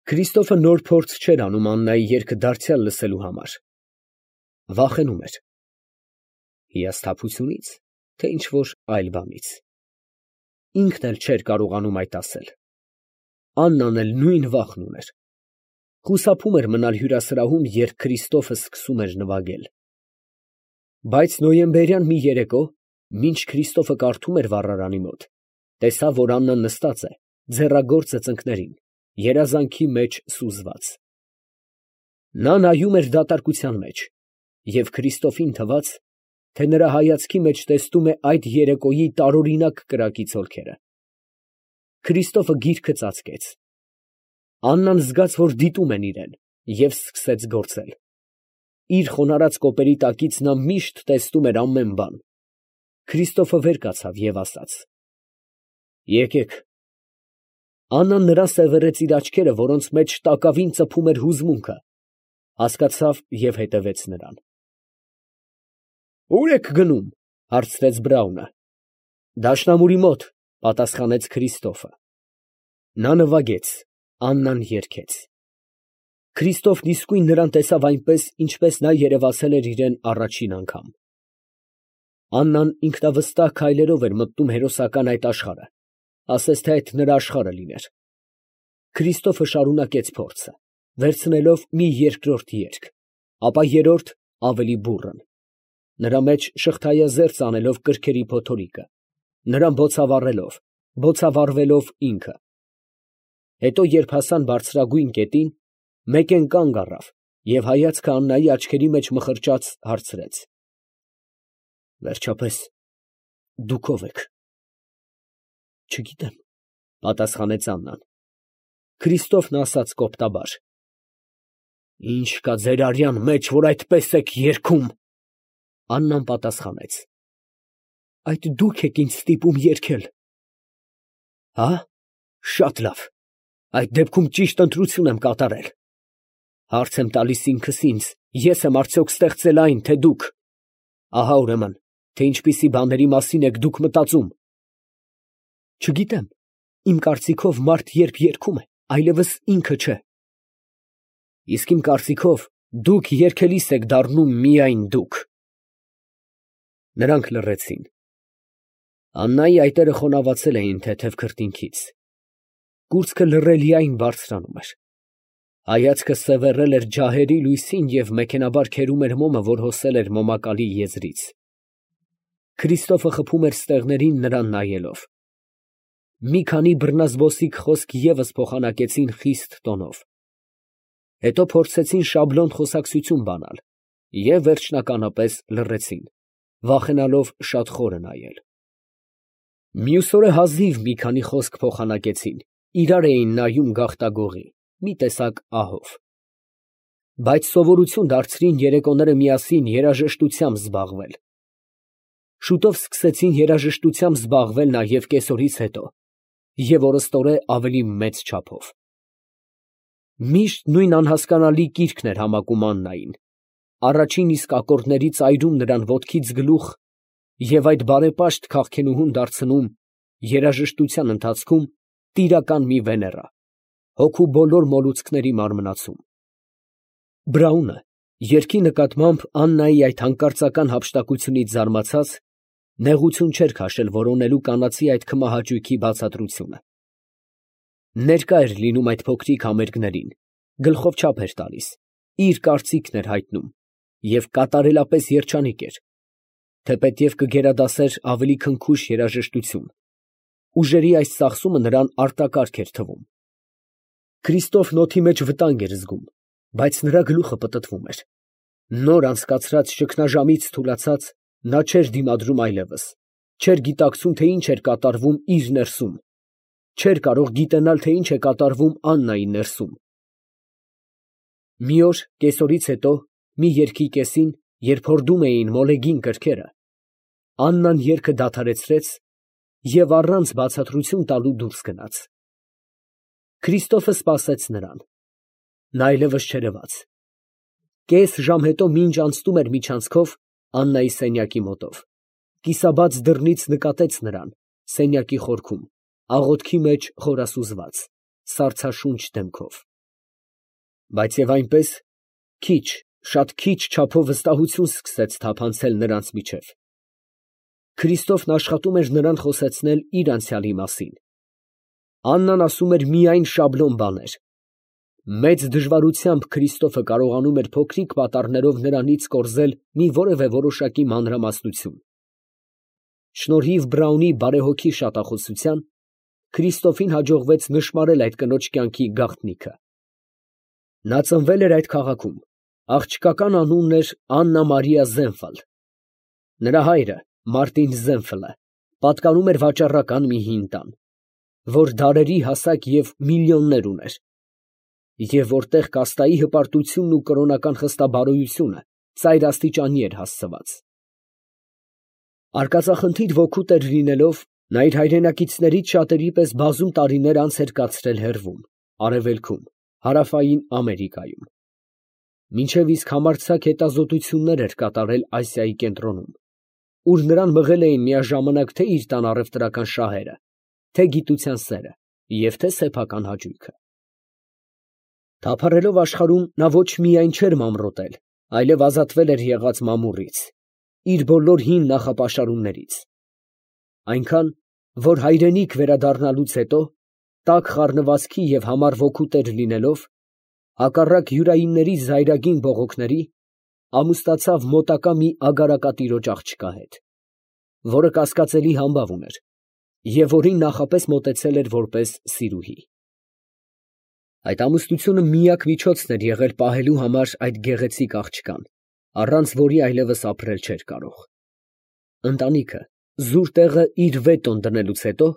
Քրիստոֆը նոր փորձ չէր անում Աննայի երգը դարձյալ լսելու համար. վախենում էր հիասթափությունից, թե ինչ֊որ այլ բանից։ Ինքն էլ չէր կարողանում այդ ասել։ Աննան էլ նույն վախն ուներ։ Խուսափում էր մնալ հյուրասրահում, երբ Քրիստոֆը սկսում էր նվագել։ Բայց նոյեմբերյան մի երեկո, մինչ Քրիստոֆը կարդում էր վառարանի մոտ, տեսավ, որ Աննան նստած է, ձեռագործը ծնկներին, երազանքի մեջ սուզված։ Նա նայում էր դատարկության մեջ, և Քրիստոֆին թվաց, թե նրա հայացքի մեջ տեսնում է այդ երեկոյի տարօրինակ կրակի ցոլքերը։ Քրիստոֆը գիրքը ծածկեց։ Աննան զգաց, որ դիտում են իրեն, և սկսեց գործել։ Իր խոնարհած կոպերի տակից նա միշտ տեսնում էր ամեն բան։ Քրիստոֆը վեր կացավ և ասաց. «Եկեք»։ Աննան նրան սևեռեց իր աչքերը, որոնց մեջ տակավին ծփում էր հուզմունքը, հասկացավ և հետևեց նրան։ «Ո՞ւր եք գնում» հարցրեց Բրաունը։ «Դաշնամուրի մոտ», պատասխանեց Քրիստոֆը։ Նա նվագեց, Աննան երգեց։ Քրիստոֆն իսկույն նրան տեսավ այնպես, ինչպես նա երևացել էր իրան առաջին անգամ։ Աննան ինքնավստահ քայլերով էր մտնում հերոսական այդ աշխարհը, ասես թե այդ նրա աշխարհը լիներ։ Քրիստոֆը շարունակեց փորձը, վերցնելով մի երկրորդ երգ, ապա երրորդ ավելի բուռն, նրա մեջ շղթայազերծ անելով կրքերի փոթորիկը, նրան բոցավառվելով ինքը։ Հետո, երբ հասան բարձրագույն կետին, մեկեն կանգ առավ և հայացքը Աննայի աչքերի մեջ մխրճաց հարցրեց. «Վերջապես, դուք ո՞վ եք»։ «Չգիտեմ», պատասխանեց Աննան։ Քրիստոֆն ասաց կոպտաբար. «Ի՞նչ կա ձեր արյան մեջ, որ այդպես եք երգում»։ Աննան պատասխանեց. «Այդ դուք եք ինձ ստիպում երգել»։ «Հա՞, շատ լավ, այդ դեպքում ճիշտ ընտրություն եմ կատարել։ Հարց եմ տալիս ինքս ինձ, ես եմ արդյոք ստեղծել այն, թե դուք։ Ահա ուրեմն, թե ինչպիսի բաների մասին եք դուք մտածում»։ «Չգիտեմ, իմ կարծիքով մարդ երբ երգում է, այլևս ինքը չէ»։ «Իսկ իմ կարծիքով դուք երգելիս եք դառնում միայն դուք»։ Նրանք լռեցին։ Աննայի այտերը խոնավացել էին թեթև քրտինքից։ Կուրծքը լռելիայն բարձրանում էր։ Հայացքը սևեռել էր ջահերի լույսին և մեքենայաբար քերում էր մոմը, որ հոսել էր մոմակալի եզրից։ Քրիստոֆը խփում էր ստեղներին նրան նայելով։ Մի քանի բռնազբոսիկ խոսք ևս փոխանակեցին խիստ տոնով։ Հետո փորձեցին շաբլոն խոսակցություն բանալ և վերջնականապես լռեցին, վախենալով շատ խորը նայել։ Մյուս օրը հազիվ մի քանի խոսք փոխանակեցին, իրար էին նայում գաղտագողի, մի տեսակ ահով։ Բայց սովորություն դարձրին երեկոները միասին երաժշտությամբ զբաղվել։ Շուտով սկսեցին երաժշտությամբ զբաղվել նաև կեսօրից հետո և օրըստօրե ավելի մեծ չափով։ Միշտ նույն անհասկանալի կիրքն էր համակում Աննային, առաջին իսկ ակորդների ծայրում նրան ոտքից գլուխ և այդ բարեպաշտ քաղքենուհուն դարձնում երաժշտության ընթացքում տիրական մի Վեներա, հոգու բոլոր մոլուցքների մարմնացում։ Բրաունը, երգի նկատմամբ Աննայի այդ հանկարծական հափշտակությունից զարմացած, նեղություն չէր քաշել որոնելու կանացի այդ քմահաճույքի բացատրությունը։ Ներկա էր լինում այդ փոքրիկ համերգներին, գլխով չափ էր տալիս, իր կարծիքն էր հայտնում և կատարելապես երջանիկ էր, թեպետև կգերադասեր ավելի քնքուշ երաժշտություն։ Ուժերի այս ծախսումը նրան արտակարգ էր թվում։ Քրիստոֆն օդի մեջ վտանգ էր զգում, բայց նրա գլուխը պտտվում էր։ Նոր անցկացրած ճգնաժամից թուլացած, նա չէր դիմադրում այլևս, չէր գիտակցում, թե ինչ էր կատարվում իր ներսում, չէր կարող գիտենալ, թե ինչ է կատարվում Աննայի ներսում։ Մի օր կեսօրից հետո, մի երգի կեսին, երբ հորդում էին մոլեգին կրքերը, Աննան երգը դադարեցրեց և առանց բացատրություն տալու դուրս գնաց։ Քրիստոֆը սպասեց նրան։ Նա այլևս չերևաց։ Կես ժամ հետո, մինչ անցնում էր միջանցքով Աննայի սենյակի մոտով, կիսաբաց դռնից նկատեց նրան սենյակի խորքում, աղոթքի մեջ խորասուզված, սառցաշունչ դեմքով։ Բայց եւ այնպես քիչ, շատ քիչ չափով վստահություն սկսեց թափանցել նրանց միջև։ Քրիստոֆն աշխատում էր նրան խոսեցնել իր անցյալի մասին։ Աննան ասում էր միայն շաբլոն բաներ։ Մեծ դժվարությամբ Քրիստոֆը կարողանում էր փոքրիկ պատառներով նրանից կորզել մի որևէ որոշակի մանրամասնություն։ Շնորհիվ Բրաունի բարեհոգի շատախոսության Քրիստոֆին հաջողվեց նշմարել այդ կնոջ կյանքի գաղտնիքը։ Նա ծնվել էր այդ քաղաքում, աղջկական անունն էր Աննա Մարիա Զենֆալ։ Նրա հայրը Մարտին Զենֆլը պատկանում էր վաճառական մի հին տան, որ դարերի հասակ և միլիոններ ուներ, և որտեղ կաստայի հպարտությունն ու կրոնական խստաբարոյությունը ծայրաստիճանի էր հասցված։ Արկածախնդիր ոգուտ էր լինելով, նա իր հայրենակիցներից շատերի պես բազում տարիներ անց էր կացրել հեռվում, արևելքում, հարավային Ամերիկայում, մինչև իսկ համարձակ հետազոտություններ էր կատարել Ասիայի կենտրոնում, ուր նրան մղել էին միաժամանակ թե իր տան առևտրական շահերը, թե գիտության սերը և թե սեփական հաճույքը։ Թափառելով աշխարհում նա ոչ միայն չէր մամրոտել, այլև ազատվել էր եղած մամուռից, իր բոլոր հին նախապաշարումներից, այնքան, որ հայրենիք վերադառնալուց հետո, տաք խառնվածքի և համառ ոգու տեր լինելով, հակառակ յուրայինների զայրագին բողոքների, ամուսնացավ մոտակա մի ագարակատիրոջ աղջկա հետ, որը կասկածելի համբավ ուներ և որին նախապես մոտեցել էր որպես սիրուհի։ Այդ ամուսնությունը միակ միջոցն էր եղել պահելու համար այդ գեղեցիկ աղջկան, առանց որի այլևս ապրել չէր կարող։ Ընտանիքը զուր տեղը իր վետոն դնելուց հետո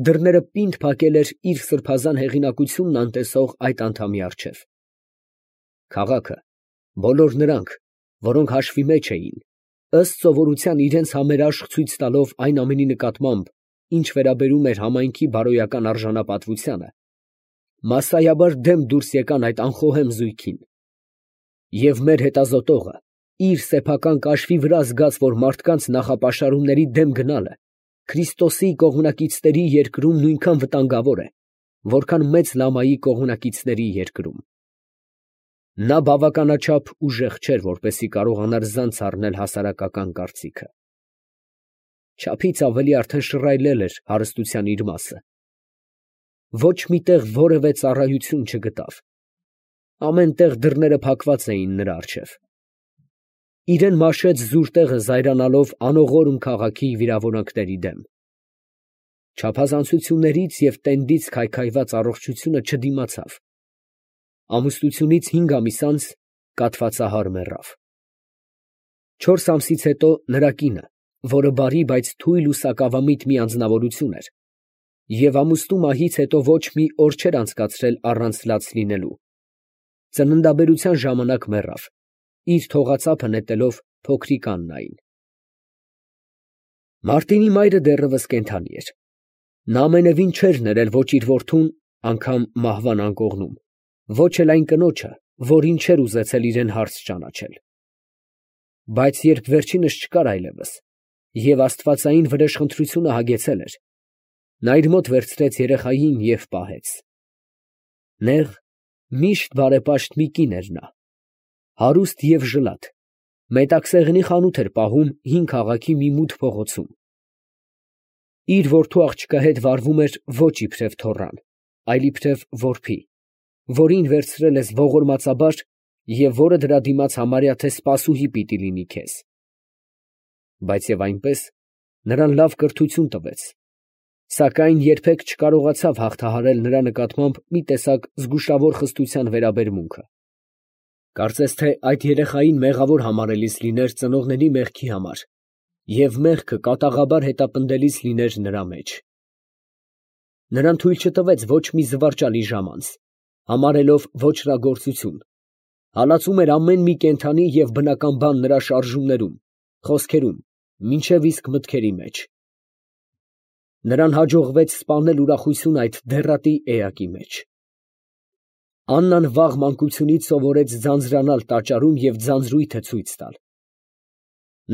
դռները պինդ փակել էր իր սրբազան հեղինակությունն անտեսող այդ անդամի առջև։ Քաղաքը, բոլոր նրանք, որոնք հաշվի մեջ էին, ըստ սովորության իրենց համերաշխ ցույց տալով այն ամենի նկատմամբ, ինչ վերաբերում էր համայնքի բարոյական արժանապատվությանը, մասսայաբար դեմ դուրս եկան այդ անխոհեմ զույգին, և մեր հետազոտողը իր սեփական կաշվի վրա զգաց, որ մարդկանց նախապաշարումների դեմ գնալը Քրիստոսի կողմնակիցների երկրում նույնքան վտանգավոր է, որքան Մեծ Լամայի կողմնակիցների երկրում։ Նա բավականաչափ ուժեղ չէր, որպեսզի կարողանար զանց առնել հասարակական կարծիքը։ Չափից ավելի արդեն շռայլել էր հարստության իր մասը։ Ոչ մի տեղ որևէ ծառայություն չգտավ։ Ամեն տեղ դռները փակված էին նրա առջև։ Իրեն մաշեց զուր տեղը զայրանալով անողորմ քաղաքի վիրավորանքների դեմ։ Չափազանցություններից և տենդից քայքայված առողջությունը չդիմացավ։ Ամուսնությունից 5 ամիս անց կաթվածահար մեռավ։ 4 ամսից հետո նրա կինը, որը բարի, բայց թույլ ու սակավամիտ մի անձնավորություն էր, և ամուսնու մահից հետո ոչ մի օր չէր անցկացրել առանց լաց լինելու, ծննդաբերության ժամանակ մեռավ, իր թողածափը նետելով փոքրիկ Աննային։ Մարտինի մայրը դեռևս կենդանի էր։ Նա ամենևին չէր ներել ոչ իր որդուն, անգամ մահվան անկողնում, ոչ էլ այն կնոջը, որին չէր ուզեցել իրեն հարց ճանաչել։ Բայց երբ վերջինս չկար այլևս, և աստվածային վրեժխնդրությունը հագեցել էր, նա իր մոտ վերցրեց երեխային և պահեց։ Նեղ, միշտ բարեպաշտ մի կին էր նա, հարուստ և ժլատ, մետաքսեղենի խանութ էր պահում հին քաղաքի մի մութ փողոցում։ Իր որդու աղջկա հետ վարվում էր ոչ իբրև թոռան, այլ իբրև որբի, որին վերցրել ես ողորմածաբար և որը դրա դիմաց համարյա թե սպասուհի պիտի լինի քեզ։ Բայց և այնպես նրան լավ կրթություն տվեց, սակայն երբեք չկարողացավ հաղթահարել նրա նկատմամբ մի տեսակ զգուշավոր խստության վերաբերմունքը։ Կարծես թե այդ երեխային մեղավոր համարելիս լիներ ծնողների մեղքի համար և մեղքը կատաղաբար հետապնդելիս լիներ նրա մեջ։ Նրան թույլ չտվեց ոչ մի զվարճալի ժամանց, համարելով ոճրագործություն, հալածում էր ամեն մի կենդանի և բնական բան նրա շարժումներում, խոսքերում, մինչև իսկ մտքերի մեջ։ Նրան հաջողվեց սպանել ուրախությունը այդ դեռատի էակի մեջ։ Աննան վաղ մանկությունից սովորեց ձանձրանալ տաճարում և ձանձրույթը ցույց տալ։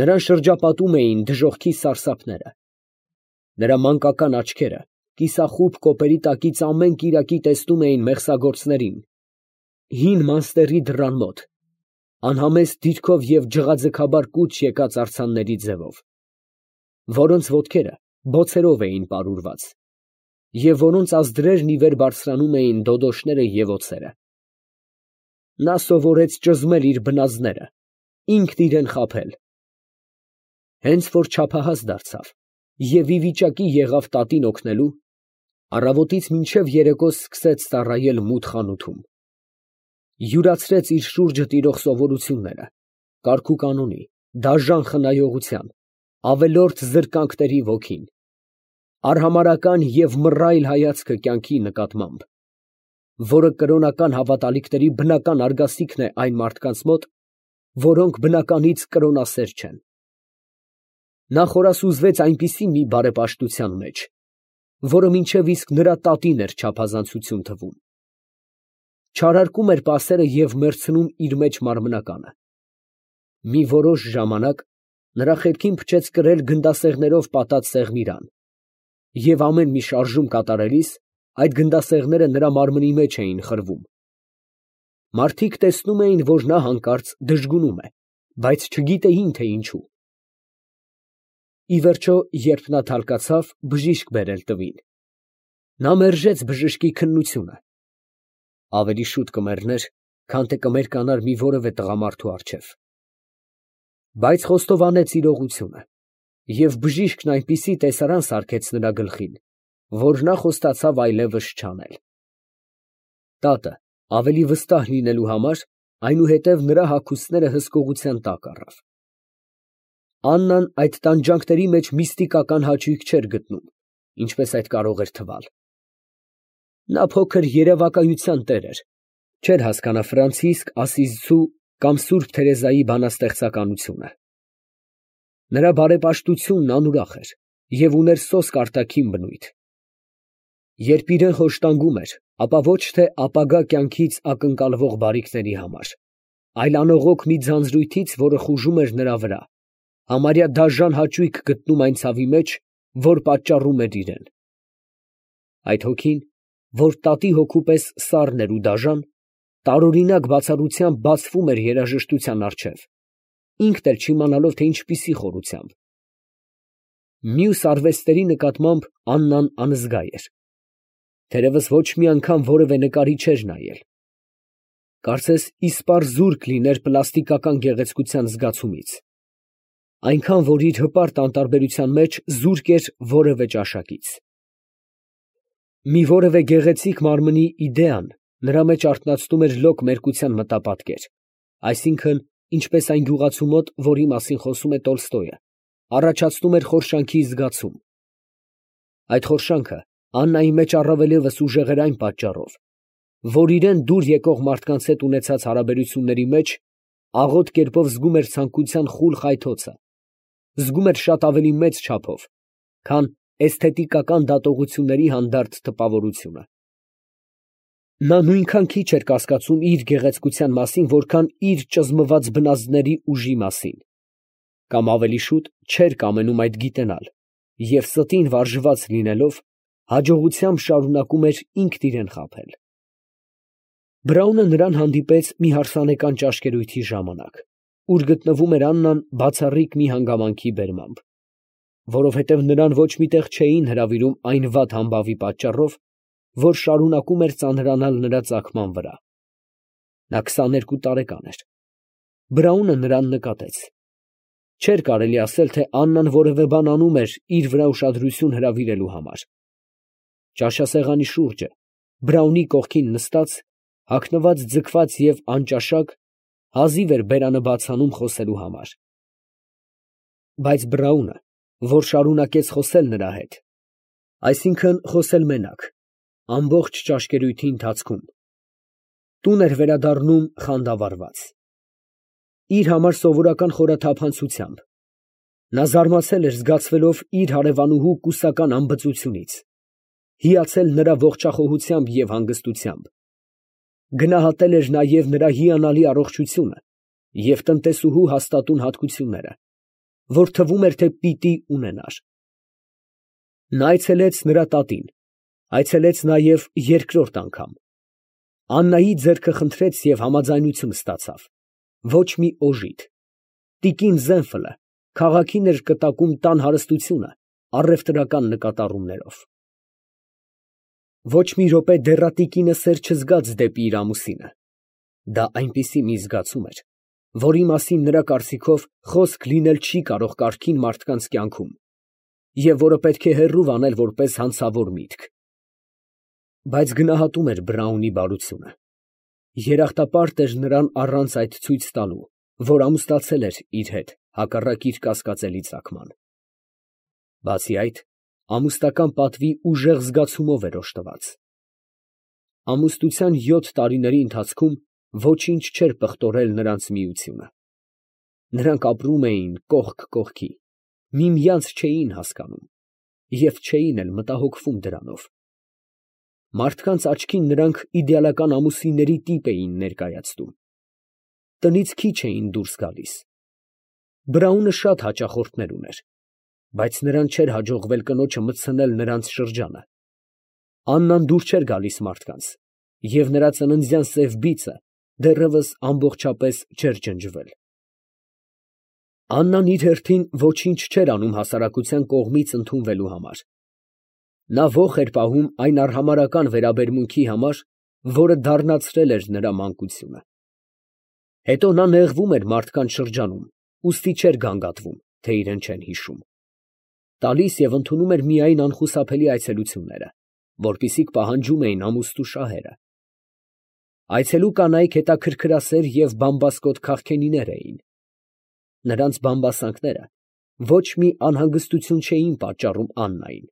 Նրան շրջապատում էին դժոխքի սարսափները։ Նրա մանկական աչքերը կիսախուբ կոպերի տակից ամեն կիրակի տեսնում էին մեղսագործներին, հին մանստերի դռան մոտ, անհամեստ դիրքով և ջղաձգաբար կուչ եկած արձանների ձևով, որոնց ոտքերը բոցերով էին պարուրված, և որոնց ազդրերն ի վեր բարձրանում էին դոդոշները և օձերը։ Նա սովորեց ճզմել իր բնազդները, ինքն իրան խաբել։ Հենց որ չափահաս դարձավ և ի վիճակի եղավ տատին օգնելու, առավոտից մինչև երեկո սկսեց ծառայել մութ խանութում, յուրացրեց իր շուրջը տիրող սովորությունները, կարգուկանոնի, դաժան խնայողության, ավելորդ զրկանքների ոգին, արհամարհական և մռայլ հայացքը կյանքի նկատմամբ, որը կրոնական հավատալիքների բնական արգասիքն է այն մարդկանց մոտ, որոնք բնականից կրոնասեր չեն։ Նա խորասուզվեց այնպիսի մի բարեպաշտության մեջ, որը մինչև իսկ նրա տատին էր չափազանցություն թվում, չարարկում էր պասերը և մեռցնում իր մեջ մարմնականը։ Մի որոշ ժամանակ նրա խելքին փչեց կրել գնդասեղներով պատած սեղմիրան, և ամեն մի շարժում կատարելիս այդ գնդասեղները նրա մարմնի մեջ էին խրվում։ Մարդիկ տեսնում էին, որ նա հանկարծ դժգունում է, բայց չգիտեին, թե ինչու։ Ի վերջո, երբ նա թալկացավ, բժիշկ բերել տվին։ Նա մերժեց բժշկի քննությունը. ավելի շուտ կմեռներ, քան թե կմերկանար մի որևէ տղամարդու առջև։ Բայց խոստովանեց իրողությունը, և բժիշկն այնպիսի տեսարան սարքեց նրա գլխին, որ նա խոստացավ այլևս չանել։ Տատը, ավելի վստահ լինելու համար, այնուհետև նրա հագուստները հսկողության տակ առավ։ Աննան այդ տանջանքների մեջ միստիկական հաճույք չէր գտնում, ինչպես այդ կարող էր թվալ։ Նա փոքր երևակայության տեր էր, չէր հասկանա Ֆրանցիսկ Ասիզցու կամ սուրբ Թերեզայի բանաստեղծականությունը։ Նրա բարեպաշտությունն անուրախ էր և ուներ սոսկ արտաքին բնույթ։ Երբ իրան խոշտանգում էր, ապա ոչ թե ապագա կյանքից ակնկալվող բարիքների համար, այլ անողոք մի ձանձրույթից, որը խուժում էր նրա վրա, համարյա դաժան հաճույք գտնում այն ցավի մեջ, որ պատճառում էր իրան։ Այդ հոգին, որ տատի հոգու պես սառն էր ու դաժան, տարօրինակ բացառությամբ բացվում էր երաժշտության առջև, ինքն էլ չիմանալով, թե ինչպիսի խորությամբ։ Մյուս արվեստների նկատմամբ Աննան անզգա էր, թերևս ոչ մի անգամ որևէ նկարի չէր նայել։ Կարծես իսպառ զուրկ լիներ պլաստիկական գեղեցկության զգացումից, այնքան, որ իր հպարտ անտարբերության մեջ զուրկ էր որևէ ճաշակից։ Մի որևէ գեղեցիկ մարմնի իդեան նրա մեջ արթնացնում էր լոկ մերկության մտապատկեր, այսինքն, ինչպես այն գյուղացու մոտ, որի մասին խոսում է Տոլստոյը, առաջացնում էր խորշանքի զգացում։ Այդ խորշանքը Աննայի մեջ առավել ևս ուժեղ էր այն պատճառով, որ իրան դուր եկող մարդկանց հետ ունեցած հարաբերությունների մեջ աղոտ կերպով զգում էր ցանկության խուլ խայթոցը, զգում էր շատ ավելի մեծ չափով, քան էսթետիկական դատողությունների հանդարտ տպավորությունը։ Նա նույնքան քիչ էր կասկածում իր գեղեցկության մասին, որքան իր ճզմված բնազդների ուժի մասին, կամ ավելի շուտ չէր կամենում այդ գիտենալ, և ստին վարժված լինելով, հաջողությամբ շարունակում էր ինքն իրան խաբել։ Բրաունը նրան հանդիպեց մի հարսանեկան ճաշկերույթի ժամանակ, ուր գտնվում էր Աննան բացառիկ մի հանգամանքի բերմամբ, որովհետև նրան ոչ մի տեղ չէին հրավիրում այն վատ համբավի պատճառով, որ շարունակում էր ծանրանալ նրա ծագման վրա։ Նա 22 տարեկան էր։ Բրաունը նրան նկատեց։ Չէր կարելի ասել, թե Աննան որևէ բան անում էր իր վրա ուշադրություն հրավիրելու համար։ Ճաշասեղանի շուրջը, Բրաունի կողքին նստած, հագնված, ձգված և անճաշակ, հազիվ էր բերանը բաց անում խոսելու համար։ Բայց Բրաունը, որ շարունակեց խոսել նրա հետ, այսինքն խոսել մենակ, ամբողջ ճաշկերույթի ընթացքում, տուն էր վերադառնում խանդավառված։ Իր համար սովորական խորաթափանցությամբ, նա զարմացել էր զգացվելով իր հարևանուհու կուսական անբծությունից, հիացել նրա ողջախոհությամբ և հանգստությամբ, գնահատել էր նաև նրա հիանալի առողջությունը և տնտեսուհու հաստատուն հատկությունները, որ թվում էր, թե պիտի ունենար։ Նա այցելեց նրա տատին, այցելեց նաև երկրորդ անգամ։ Աննայի ձեռքը խնդրեց և համաձայնություն ստացավ։ Ոչ մի օժիտ։ Տիկին Զենֆլը քաղաքին էր կտակում տան հարստությունը առևտրական նկատառումներով։ Ոչ մի րոպե դեռատիկինը սեր չզգաց դեպի իր ամուսինը։ Դա այնպիսի մի զգացում էր, որի մասին նրա կարծիքով խոսք լինել չի կարող կարգին մարդկանց կյանքում, և որը պետք է հեռու անել որպես հանցավոր միտք։ Բայց գնահատում էր Բրաունի բարությունը։ Երախտապարտ էր նրան առանց այդ ցույց տալու, որ ամուսնացել էր իր հետ հակառակ իր կասկածելի ծագման։ Բացի այդ, ամուսնական պատվի ուժեղ զգացումով էր օժտված։ Ամուսնության 7 տարիների ընթացքում ոչինչ չէր պղտորել նրանց միությունը։ Նրանք ապրում էին կողք կողքի, միմյանց չէին հասկանում և չէին էլ մտահոգվում դրանով։ Մարդկանց աչքին նրանք իդեալական ամուսինների տիպ էին ներկայացնում։ Տնից քիչ էին դուրս գալիս։ Բրաունը շատ հաճախորդներ ուներ, բայց նրան չէր հաջողվել կնոջը մտցնել նրանց շրջանը։ Աննան դուր չէր գալիս մարդկանց, և նրա ծննդյան սև բիծը դեռևս ամբողջապես չէր ջնջվել։ Աննան իր հերթին ոչինչ չէր անում հասարակության կողմից ընդունվելու համար։ Նա ոխ էր պահում այն արհամարհական վերաբերմունքի համար, որը դառնացրել էր նրա մանկությունը։ Հետո նա նեղվում էր մարդկանց շրջանում, ուստի չէր գանգատվում, թե իրեն չեն հիշում։ Տալիս և ընդունում էր միայն անխուսափելի այցելությունները, որպիսիք պահանջում էին ամուսնու շահերը։ Այցելու կանայք հետաքրքրասեր և բամբասկոտ քաղքենիներ էին։ Նրանց բամբասանքները ոչ մի անհանգստություն չէին պատճառում Աննային։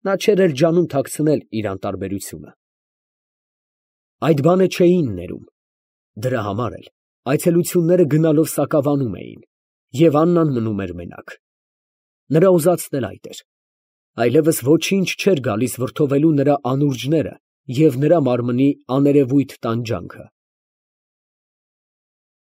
Նա չէր էլ ջանում թաքցնել իր անտարբերությունը։ Այդ բանը չէին ներում։ Դրա համար էլ այցելությունները գնալով սակավանում էին, և Աննան մնում էր մենակ։ Նրա ուզածն էլ այդ էր։ Այլևս ոչինչ չէր գալիս վրդովելու նրա անուրջները և նրա մարմնի աներևույթ տանջանքը։